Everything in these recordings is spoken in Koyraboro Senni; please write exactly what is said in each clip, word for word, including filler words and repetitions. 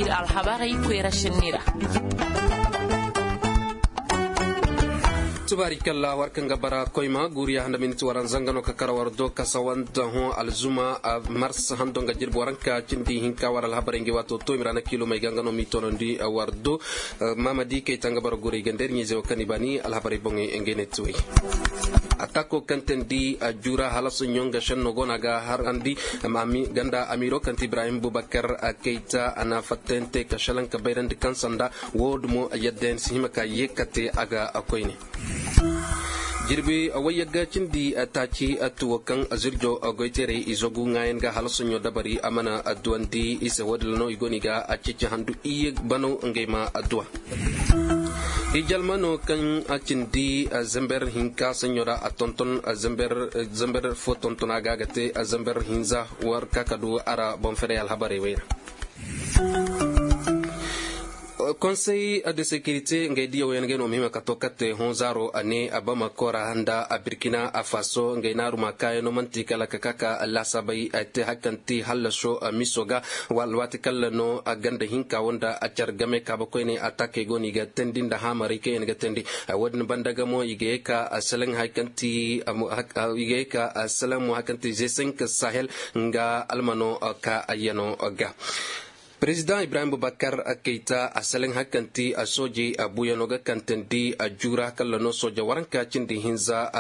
Alhabarey koyra sinni ra. Tubaari kalla war kaŋ ga bara koyma guuriya handa miniti waranza nga no ka kara war do kasawanta hõ alzuma mars hando nga jirbi waranka cindi hinka war alhabarey ngi waato to i ma ra na kiilomey ga nga no m'i toonandi war do. Maamadi kayta nga bara guurey ga nda ir ɲiizey wo kaŋ i baani alhabarey boŋey ngey ne tuwey. Atako kaŋ teendi juura hala soɲõ nga šenno go no a ga harandi ganda amiiro kaŋ ti ibrahim bubakar kayta a na fattayante ka šelaŋ ka bayrandi kaŋ sanda wo- din mo yadda yaŋ si hima ka ye ka te a ga koyne. Jirbi wayyagga cindi taaci tuwo kaŋ zirjo goyteerey i zogu ŋaayan ga hala soɲõ dabari a mana duwandi i se wo- din ra no i go no i ga ceeci handu iyye banaw ngey ma duwa. Hijalma no kaŋ a cindi zember hinka saɲɲo ra a tonton zember fo tonton a ga a ga te zember hinza war ka ka du a ra boŋ ferey alhabarey wey ra. Konsey de sekirite ngey diyaw yaŋ ngey no ma hima ka to katte hõ zaaro a ne a bamako ra nda a birkina a faso ngey naaru ma kaayano man'ti kala ka ka ka laasaabey a te hari kaŋ ti hallaso miso ga. Alwaati kalla no a ganda hinka wo nda a care game kaaba koyne a taakey go no i ga teendi nda haamarey kaŋ yaŋ ga teendi. Wo- din banda ga mo i ga ye ka seleŋ hari kaŋ ti i ga ye ka seleŋ mo hari kaŋ ti zesenk sahel nga almano ka ayyano ga. Perezidaŋ ibrahim bubakar kayta a seleŋ hari kaŋ ti soojey buuyano ga kaŋ teendi juura kalla no sooja waranka cindi hinza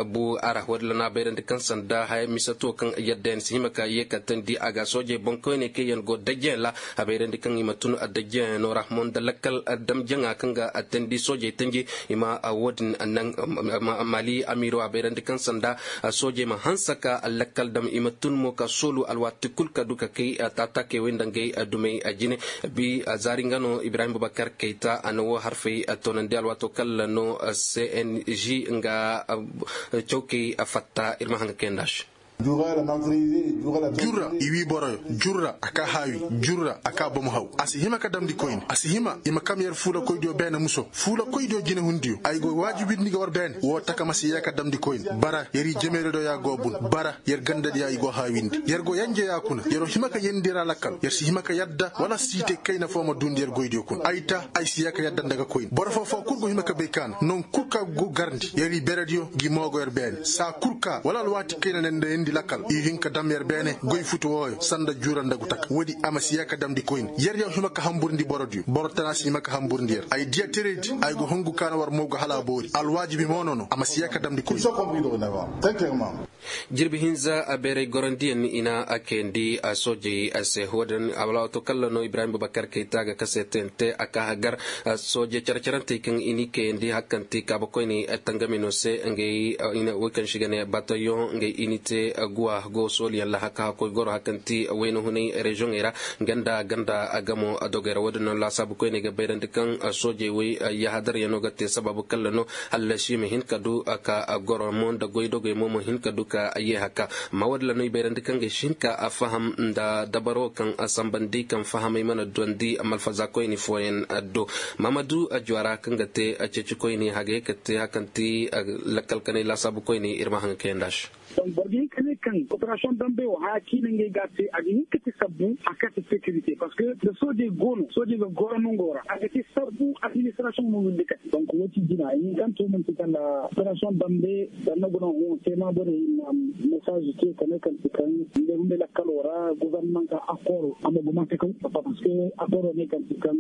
bu a ra wo- din ra no a bayrandi kaŋ sanda haya mise to kaŋ yadda yaŋ si hima ka ye ka teendi a ga soojey boŋkoyney kaŋ yaŋ go dajjayaŋ ra a bayrandi kaŋ i ma tun dajjayaŋo ra mo nda lakkal dam jaŋa kaŋ ga teendi soojey tanji i ma wo- din naŋ. Mali amiiro a bayrandi kaŋ sanda soojey ma hanse ka lakkal dam i ma tun mo ka soolu alwaati kul ka du ka kay taataakey wey nda ngey dumey jine. Bi zaari nga no ibrahim bubakar kayta a na wo harfey toonandi alwaato kalla no cng nga cawkey fatta ir ma haŋ ga kay nd'a se. Jurra i wii boroyo. Jurra a ka haawi. Jurra a ka bomo haw a si hima ka damndi koyne a si hima i ma kam yer fuulakoydiyo beene muso fuulakoydiyo jinehundiyo ay go waajibindi ga war beene woo taka ma si yee ka damndi koyne bara yer i jemeerediyo ya go bun bara yer gandadiya i go haawindi yer go yenjeya kuna yeroo hima ka yendi ra lakkal yer si hima ka yadda wala siite kayna foo ma duundi yer goydiyo kuna ay ta ay si yee ka yadda nda ga koyne boro foo foo kul go hima ka bay ka na non kul ka go garndi yer i berediyo ngi moogo yer beene saa kul ka wala alwaati kayna ne nda yendi lakkal i hin ka dam yer beene goy futu wooyo sanda juura nda gu taka woodi a ma si yee ka damndi koyne yer yaw hima ka hamburndi borodiyo boro tana si hima ka hamburndi yer ay diya teredi ay go hungu ka na war moogo hala a boori alwaajibi mo nono a ma si yee ka damndi koyne. Jirbi hinza a beeray gorandiyaŋ i na a kayandi a soojey se wo- din a wala waato kalla no ibrahim bubakar kayta ga kase tente a ka hagar soojey care-carantey kaŋ i n'i kayandi hari kaŋ ti kaaba koyney tangami no se ngey woy kaŋ se i ga ne batayoŋ ngey i n'i te guwa go sooliyaŋ ra haka hakoy goro hari kaŋ ti wayna hunay reziyoŋey ra ganda ganda gamo dogey ra wo- din no laasaabu koyney ga bayrandi kaŋ soojey woy yahadaryaŋo ga te sabaabu kalla no hala si ma hin ka du ka goro mo nda goydogey mo ma hin ka du ka ye haka. Amma wo- din ra no i bayrandi kaŋ ga si hin ka faham nda dabaro kaŋ sambandi kaŋ fahamey mana duwandi malfaza koyni fooyaŋ do. Maamadu juwara kaŋ ga te ceeci koyni hagay ka te hari kaŋ ti lakkal kanay laasaabu koyni ir ma haŋ kayandi a se. Boro ga hin ka ne kaŋ operasiyoŋ dambe wo haya kaŋ i na ngey ga a te a ga hin ka te sabbu a ka te sekirite parceque nda soojey go no soojey ga goro nango ra a ga te sabbu administrasiyoŋ no windi kate donk wo- cin jina i hin kaŋ to manti kala operasiyoŋ dambe. Danna guna hõ tema borey i na mesaazi te ka ne kaŋ ti kaŋ ngey hunday lakkalo ra guvernamanta akoro a ma gumante kaw parceque akoro ne kaŋ ti kaŋ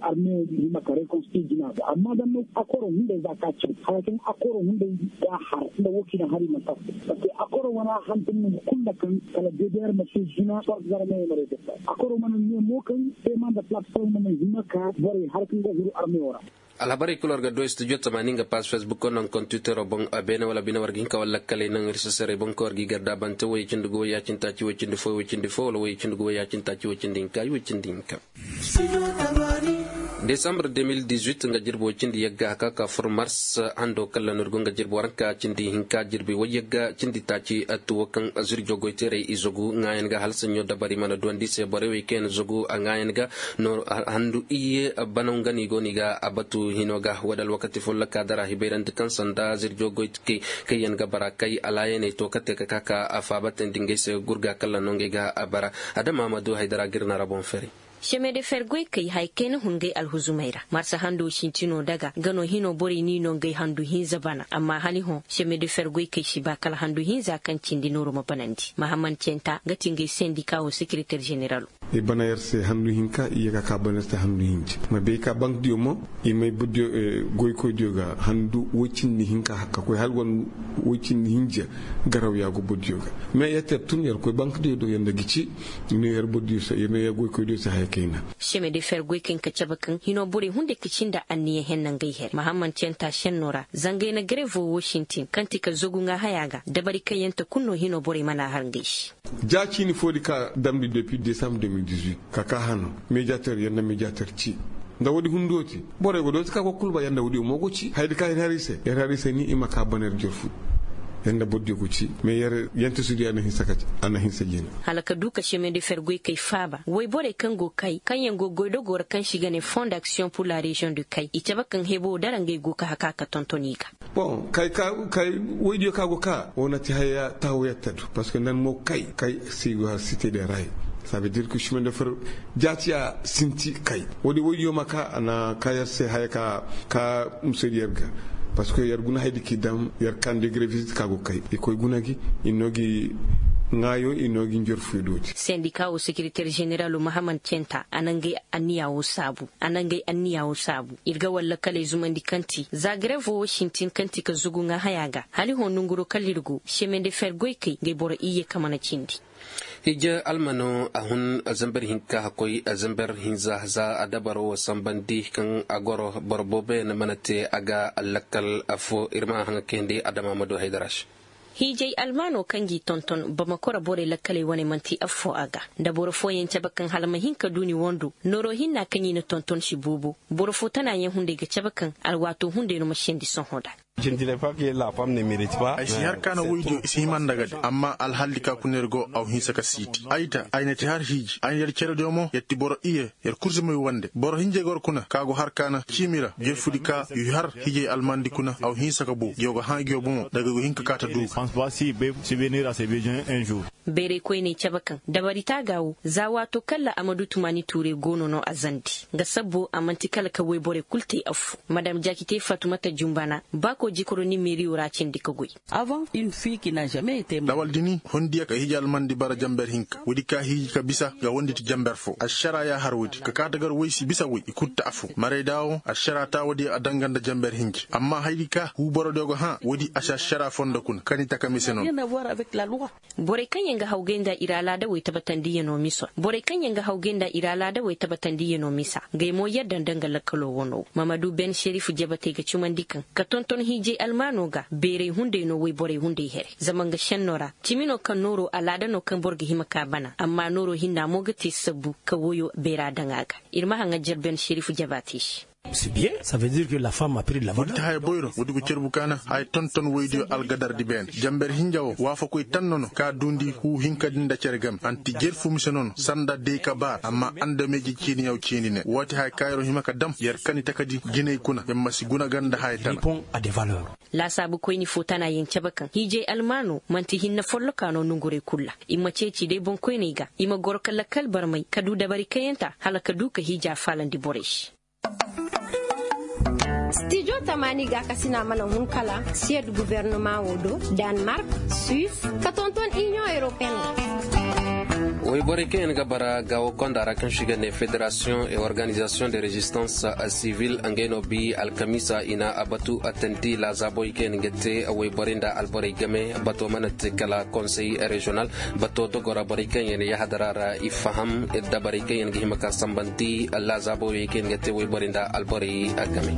arme hima ka rekonstiti jina ga amma danna akoro hunday za ka caw haya kaŋ akoro hunday ga har nda wo kaŋ i na har i mana tafu parceque akoro wana hantum nongu kulu nda kaŋ kala ddr ma se jina sort zarme wo ma rekonstiti akoro mana ne mo kaŋ tema nda plateforme mana hima ka borey har kaŋ ga huru arme wo ra. Alhabarey kul war ga du studio tamaani nga paas facebook naŋ kontwitero boŋ beene wala bine war ga hin ka wala lakkaley naŋ ir sasarey boŋ ka war ga i garda bante woy cindi gu woy ya-cindi taaci woy cindi fo woy cindi fo wala woy cindi gu woy ya-cindi taaci woy cindi hinka i woy cindi hinka. Desambre deux mille dix-huit nga jirbi woy cindi yagga haka ka fur mars hando kalla no ir go nga jirbi waranka cindi hinka jirbi woy yagga cindi taaci tuwo kaŋ zirjo goyteerey i zogu ŋaayan ga hala saɲɲo dabari mana duwandi se borey wey kaŋ yaŋ zogu a ŋaayan ga no handu iyye banaw nga no i go no i ga a batu hino ga wo- din alwakati follo ka dara hibayrandi kaŋ sanda zirjo goy kay kaŋ yaŋ ga bara kay alaayaney to ka te ka ka ka a faabatandi ngey se gurga kalla no ngey ga a bara. Adama ma du haydara ga ir na ra boŋ fari. Seme de fer goykey haya kayna hun ngey alhuzumey ra marsa hando sintinoo daga nga no hinoo borey n'i noo ngey handu hinza bana amma hali hõ seme de fer goykey si ba kala handu hinza kaŋ cindi nooro ma banandi mahammad centa nga ti ngey sendika woo sekereter ženeralo. I bana yer se handu hinka i ye ka ka bana yer se handu hinja ma bay ka bank diyo mo i may goykoy diyo ga handu woy cindi hinka ka koy hala wane woy cindi hinja. Garaw ya go boro diyo ga mais yer te yer tun yer koy bank diyo do yer nda ga ci. Yer no yer boro diyo se yer no yer goykoy diyo se haya kayna. Seme de fer goy kaŋ ka cabe kaŋ hinoo borey hunday ka ci nda anniya henna ngey here mahammad centa senno ra zanga ay na garevo woo sintin kaŋ ti ka zagu ŋaa haya ga dabari kaŋ yaŋ ta kulu no hinoo borey mana har ngey se. Ja ciini foo di ka damndi depuis desambre deux mille dix-huit ka ka hano mediater yer nda mediater ci. Nda woodi hunduyo te borey go dooti ka go kulu ba yer nda woodiyo mo go ci haya di ka yer har i se yer har i se ni i ma ka bana yer jorfu. Yer nda boro diyo go ci mais yer yentasudiyo a na hinsa jina. Hala ka du ka seme de fer goy kay faaba woy borey kaŋ go kay kaŋ yaŋ go goydogoo ra kaŋ se i ga ne fond d'action pour la reziyoŋ de kay i cabe kaŋ hebo dara ngey go ka haka ka tonton i ga. Bon kay ka kay woydiyo ka go ka wo na ti haya taho yer ta du parceque nan mo kay kay si go har site de ray. Ça veut dire que chemin de fer jaati a sinti kay woodi woydiyo ma ka a na ka yer se haya ka ka musaydi yer ga. Parceque yer guna haydi k'i dam yer kandi gre visite ka go kay i koy guna gi i no gi ŋaayo i no gi njer fuyo dooti. Sendika wo sekereter ženeralo mahammad centa a na ngey anniya wo saabu a na ngey anniya wo saabu ir ga war lakkaley zumandi kaŋ ti za garevo wo sintin kaŋ ti ka zugu ŋaa haya ga hala i hõ nonguroo kala ir go semende fer goykey ngey boro iyye ka mana cindi. Hije almano a hun zamber hinka hakkoy zamber hinza za a dabaro wo sambandi kaŋ a goro boro booboyaŋ mana te a ga lakkal affo ir ma haŋa kayandi adama ma du haydara se. Hiijay almaano kaŋ g'i tonton bamakora borey lakkaley wane manti affo a ga nda boro fooyaŋ cabe kaŋ hala ma hin ka du ni wando nooro hinna kaŋ i na tonton si boobo. Boro fo tanayaŋ hunday ga cabe kaŋ alwaato hunday no ma sendi sohõ nda. Ay si har ka na woydiyo i si hima nda ga de amma alhaldi ka kuna yer go aw hinsa ka siiti ay ta ay na ti har hiiji ay na yer cerediyo mo yer ti boro iye. Yer kul si may wande boro hinjay goro kuna ka go har ka na ciimi ra jerfudi ka i har hiijay almandi kuna aw hinsa ka boo ngi yo go hã ngi yo bomo daga go hin ka kaa ta duugu. Bayray koyney cabe kaŋ dabari taaga wo za waato kalla a ma du tumaani tuuray goono no a zandi nga sabbo a man'ti kala ka woy borey kul te affo madam jaakite fatumata jumbana ba koo jikoro nimeeriyo ra cindi ka goy. Lawaldini hondiya ka hiiji almandi bara jamber hinka woodi ka hiiji ka bisa nga wonditi jamber foo ašara ya har woodi ka kaa ta gar woy si bisa woy i kul ta affo marayda wo ašara ta woodi a danga nda jamber hinji amma hayadi ka huu borodiyo go hã woodi a si ašara fondo kuna kani taka mise no. Borey kaŋ yaŋ ga hawgay nda ir alaadawey tabatandiyanoo miso borey kaŋ yaŋ ga hawgay nda ir alaadawey tabatandiyanoo misa ngey mo yadda nda nga lakkaloo wanoo wo mamadu ben šerif jabatey ga cumandi kaŋ ka tonton hiijay almaanoo ga beeray hunday no woy borey hunday here zama nga šennoo ra cimi no kaŋ nooroo alaada no kaŋ boro ga hima ka bana amma nooroo hinna mo ga te sabbu ka woyoo beeraa daŋ a ga. Ir ma haŋa jer ben šerif jabatey se. Woodi ti haya boyro woodi go cerbu kaana haya tonton woydiyo algadardi beene jamber hinja wo waafakoy tanno no ka duundi huu hinkadi nda cere game anti jerfu mise nono sanda dey ka baar amma andameeji ciiniyaw ciini ne woo ti haya kaayro hima ka dam yer kani takadi jinay kuna yer ma si guna ga nda haya tana. Laasaabu koyni foo tanayaŋ cabe kaŋ hiijay almaanoo man'ti hinne follokaa no nongurey kul ra. I ma ceeci day boŋkoyney ga i ma goro ka lakkal barmay ka du dabari kayanta hala ka du ka hiija faalandi borey se. Stijo tamaani gaakasina mana hun kala siyed gubernama wo do, danmark, suis, ka tonton inion europeen. Woyborey kaŋ yaŋ ga bara gaawo konda ra kaŋ se i ga ne federasiyoŋ et organizasiyoŋ de rezistans sivil ngey no bi alkamiisa i na a batu a tandi laazaabooy kaŋ yaŋ ga te woyborey nda alborey game bato mana te kala konsey reziyonal. Bato dogora borey kaŋ yaŋ yaahadara ra i faham dabarey kaŋ yaŋ ga hima ka sambandi laazaabooyey kaŋ yaŋ ga te woyborey nda alborey game.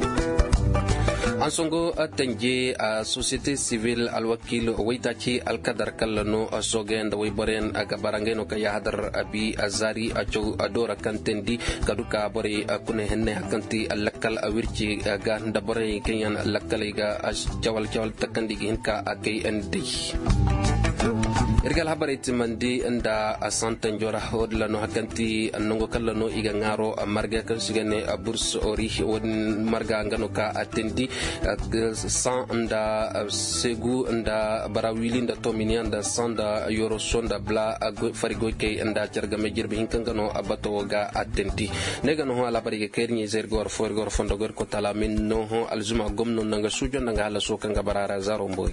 Hansongo tanje a sosiyete sivil alwakiil waytaaci alkadar kalla no sooge nda woyborey yaŋ ga bara ngey no ka yaahadar a bi a zaari a caw a doora kaŋ teendi ka du ka borey kuna henney hari kaŋ ti lakkal a wirci ga nda borey kaŋ yaŋ lakkaley ga cawal cawal takandi ga hin ka a kay day. Ir ga alhabarey timandi nda santanjo ra. Wo- din ra no hari kaŋ ti nango kaŋ ra no i ga ŋaaro marga kaŋ se i ga ne burs ori. Wo- din marga nga no ka a tindi saŋ nda segu nda bara wili nda tominiya nda saŋ nda yoroso nda bala fari goykey nda care game jirbi hinka nga no bato wo ga a tindi. Ne ga no hõ alhabarey ga kay ir ɲa-ize ir ga war fo ir ga war fondo ga ir kotala min no hõ alzuma gomno nda nga suujo nda nga halaso kaŋ ga bara ra zaaro mboy.